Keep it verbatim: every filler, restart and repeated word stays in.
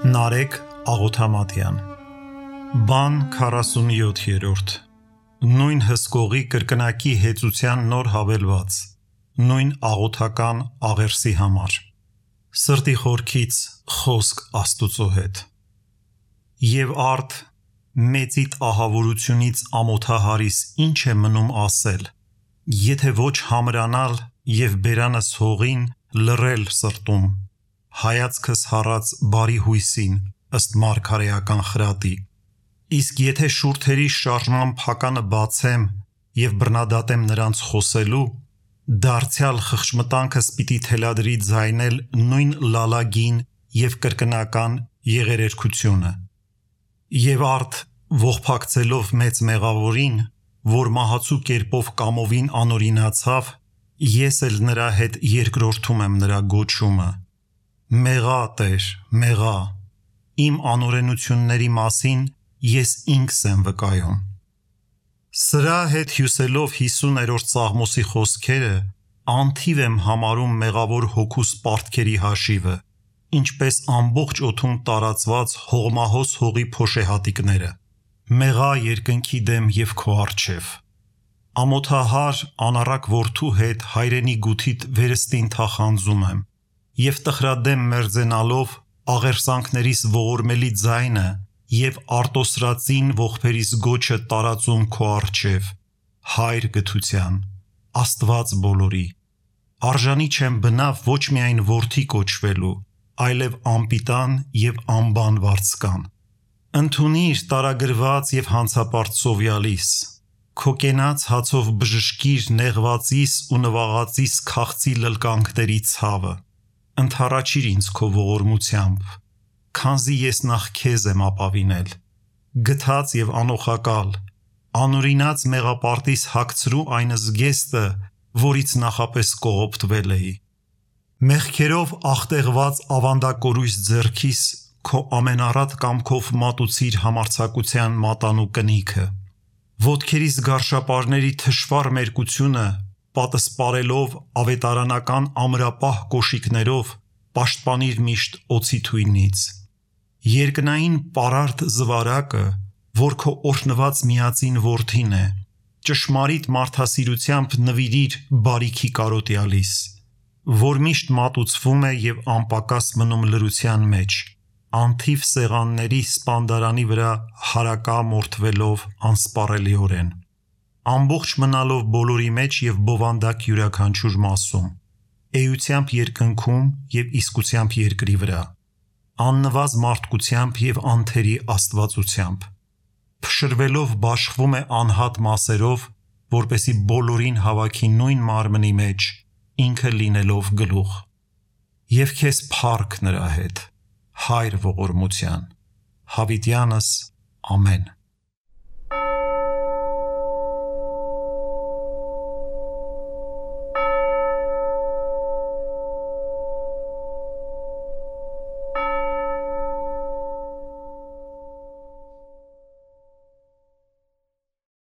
Նարեկ Աղոթամատյան Բան քառասունյոթերորդ Նույն հսկողի կրկնակի հեծության նոր հավելված Նույն աղոթական աղերսի համար Սրտի խորքից խոսք Աստուծո հետ Եվ արդ մեծիդ ահավորությունից ամոթահարիս ինչ է մնում ասել Եթե ոչ համրանալ և բերանս հողին լռել սրտում Հայացքս հառած բարի հույսին ըստ մարգարեական խրատի Իսկ եթե շուրթերի շարժման փականը բացեմ և բռնադատեմ նրանց խոսելու Դարձյալ խղճմտանքս պիտի թելադրի ձայնել նույն լալագին և կրկնական եղերերքությունը Եվ արդ ողբակցելով մեծ մեղավորին որ մահացու կերպով կամովին անօրինացավ ես էլ նրա հետ երկրորդում եմ նրա գոչումը Մեղա Տեր, մեղա, իմ անօրենությունների մասին ես ինքս եմ վկայում Սրա հետ հյուսելով հիսուներորդ Սաղմոսի խոսքերը անթիվ եմ համարում մեղավոր հոգուս պարտքերի հաշիվը ինչպես ամբողջ օդում տարածված հողմահոս հողի փոշեհատիկները Մեղա երկնքի դեմ և քո առջև Ամոթահար անառակ որդու հետ հայրենի գութիդ վերստին թախանձում եմ Եվ տխրադեմ մերձենալով աղերսանքներիս ողորմելի ձայնը և արտոսրածին ողբերիս գոչը տարածում քո առջև Հայր գթության, Աստված բոլորի Արժանի չեմ բնավ ոչ միայն որդի կոչվելու այլև անպիտան և անբան վարձկան Ընդունիր տարագրված և հանցապարծ սովյալիս Քո կենաց հացով բժշկիր նեղվածիս ու նվաղածիս քաղցի լլկանքների ցավը Ընդառաջիր ինձ քո ողորմությամբ Քանզի ես նախ քեզ եմ ապավինել Գթած և անօխակալ Անօրինած մեղապարտիս հագցրու այն զգեստը որից նախապես կողոպտվել էի Մեղքերով աղտեղված ավանդակորույս ձեռքիս Քո ամենառատ կամքով մատուցիր համարձակության մատանու կնիքը Ոտքերիս գարշապարների թշվառ մերկությունը Պատսպարելով ավետարանական ամրապահ կոշիկներով Պաշտպանիր միշտ օձի թույնից Երկնային պարարտ զվարակը որ քո օրհնված միածին որդին է Ճշմարիտ մարդասիրությամբ նվիրիր բարիքի կարոտյալիս Որ միշտ մատուցվում է և անպակաս մնում լրության մեջ Անթիվ սեղանների սպանդարանի վրա հարակամորթվելով անսպառելիորեն Ամբողջ մնալով բոլորի մեջ և բովանդակ յուրաքանչյուր մասում Էությամբ երկնքում և իսկությամբ երկրի վրա Աննվազ մարդկությամբ և անթերի աստվածությամբ Փշրվելով բաշխվում է անհատ մասերով Որպեսզի բոլորին հավաքի նույն մարմնի մեջ Ինքը լինելով գլուխ Եվ քեզ փառք նրա հետ Հայր ողորմության Հավիտյանս Ամեն